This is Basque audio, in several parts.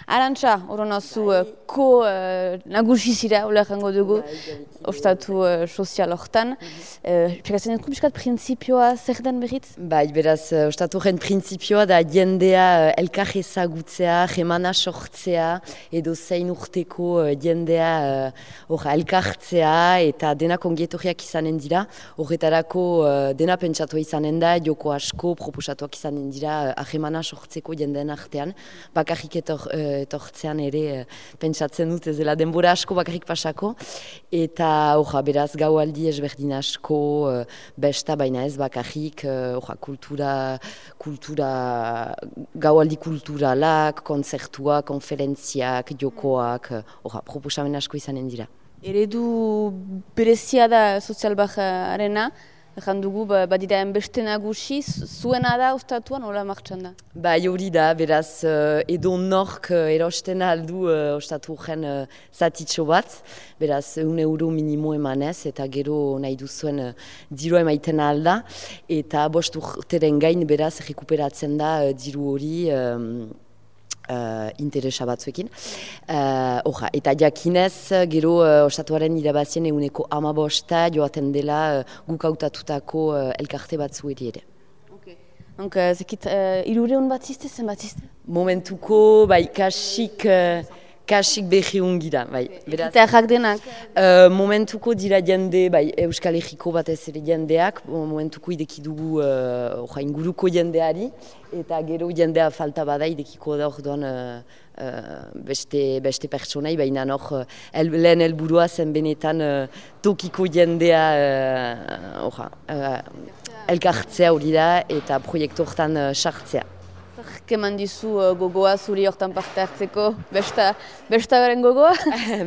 Arantxa, horonazu, nagusi zira, hola jango dugu, ostatu sozial hortan. Pekatzen dut piskat printzipioa zer den berriz? Bai, beraz, ostaturen printzipioa da jendea elkar ezagutzea, jemana sortzea, edo zein urteko jendea elkartzea eta denak ongietorriak izanen dira. Horretarako dena pentsatu izanen da, joko asko proposatuak izanen dira ahemana sortzeko jendeen artean. Bakarrik etortzean ere pentsatzen dut ez dela denbora asko bakarrik pasako. Eta beraz gaualdi ezberdin asko, besta baina ez bakarrik, gaualdi kulturalak, kontzertuak, konferentziak, jokoak, proposamen asko izanen dira. Eredu berezia da sozialbajarena, Ejan dugu, badira beste nagusi, zuena da ostatuan, hola martxan da? Bai, hori da, beraz, edo nork erosten aldu ostaturen zatitxo bat, beraz, €1 minimo emanez, eta gero nahi duzuen diru emaiten alda, eta 5 urteren gain, beraz, rekuperatzen da diru hori, interesa batzuekin. Eta jakinez, gero ostatuaren irabazien €15 joaten dela guk hautatutako elkarte batzueri ere. Zekit, 300 bat ziste, zen bat ziste? Momentuko, bai, kasik behiun gira, bai. Eta errak denak? Momentuko dira jende, bai, Euskal Herriko batez ere jendeak, momentuko ideki dugu inguruko jendeari, eta gero jendea falta bada idekiko da orduan beste pertsonai, baina lehen helburua zen benetan tokiko jendea elkartzea hori da eta proiektu hortan sartzea. Keman dizu gogoa zuri hortan parte hartzeko, besta beren gogoa?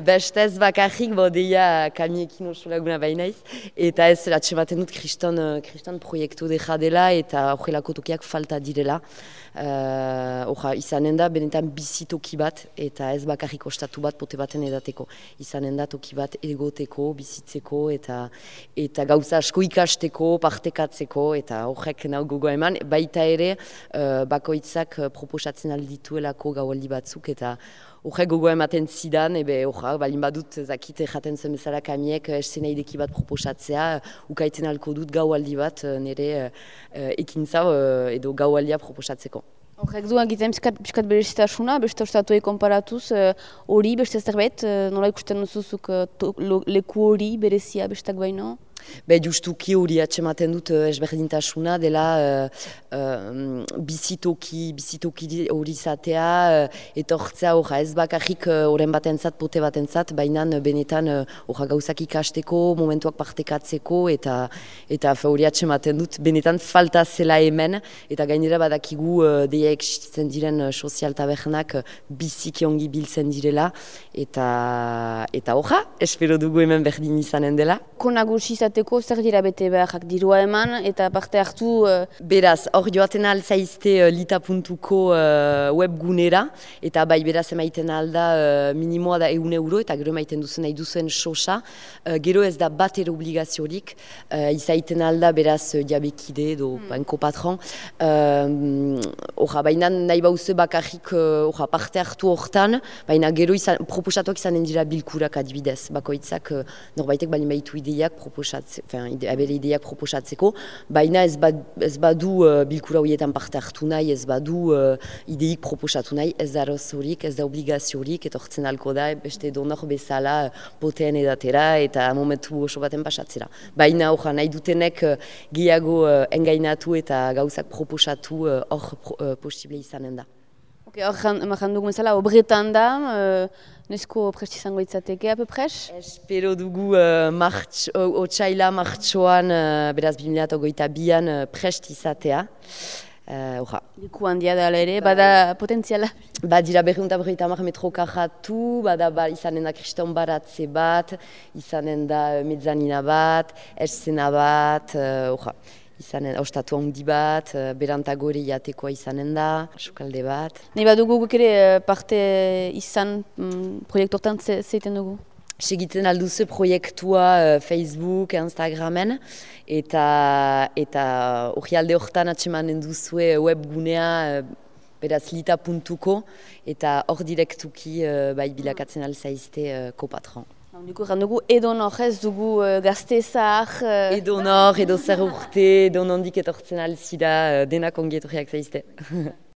Besta ez bakarrik, deia kamiekin oso laguna bainaiz, eta ez atxematen dut kriston proiektu deja dela eta horrelako tokiak falta direla. Izanen da benetan bizitoki bat eta ez bakarrik ostatu bat pote baten edateko. Izanen da toki bat egoteko, bizitzeko eta gauza asko ikasteko, partekatzeko eta horrek nahi gogoa eman. Baita ere, bakoitzak proposatzen aldituelako gaualdi batzuk eta horrek gogoa ematen zidan, balin badut zakite jaten zen bezala kamiek eszenaideki bat proposatzea, ukaiten alko dut gaualdi bat nire ekintza edo gaualdia proposatzeko. Horrek du egiten piskat berezitasuna, beste ostatuei konparatuz, hori beste zerbait, nola ikusten duzuzuk leku hori berezia bestak baino? Justuki hori atxematen dut ezberdintasuna dela bizitoki hori izatea, etortzea ez bakarrik oren batentzat, pote batentzat, baina benetan gauzak ikasteko, momentuak partekatzeko eta hori atxematen dut benetan falta zela hemen eta gainera badakigu deia existitzen diren sozial tabernak biziki ongi biltzen direla eta espero dugu hemen berdin izanen dela. Konagusi izateko zer dira bete beharrak dirua eman eta parte hartu? Beraz, hor joaten alzaizte lita.ko webgunera eta bai beraz emaiten alda minimoa da €1 eta gero emaiten duzen nahi duzuen sosa. Gero ez da bat ere obligaziorik, izaiten alda beraz jabekide edo banko patron. Baina nahi bauze bakarrik parte hartu hortan, baina gero proposatuak izanen dira bilkurak adibidez. Bakoitzak norbaitek balin baitu ideiak abere ideiak proposatzeko, baina ez badu bilkura horietan parte hartu nahi, ez badu ideik proposatu nahi, ez da rozorik, ez da obligaziorik, etortzen alko da, beste donor bezala poteen edatera eta momentu oso baten pasatzera. Baina nahi dutenek gehiago engainatu eta gauzak proposatu hor posible izanen da. Hor emajan dugu bezala, obretan da, nesko prest izango itzateke, apepres? Espero dugu otsaila martxoan, beraz 2022an prest izatea. Liku handia da ere, bada potentziala? Dira 250 metro karratu, izanen da kriston baratze bat, izanen da mezzanina bat, eszena bat, ostatu handi bat, berantagore jatekoa izanen da, sukalde bat. Nahi badugu guk ere parte izan proiektu hortan zeiten dugu? Segitzen alduzu proiektua Facebook, Instagramen, eta hori alde hortan atxemanen duzue webgunea beraz lita.ko, eta hor direktuki bai bilakatzen alzaizte kopatron. Dugu dugu edonor ez dugu gaztezak... Edonor, edo zer urte, edo nondik etortzen alzida, denak ongietorriak zaizte.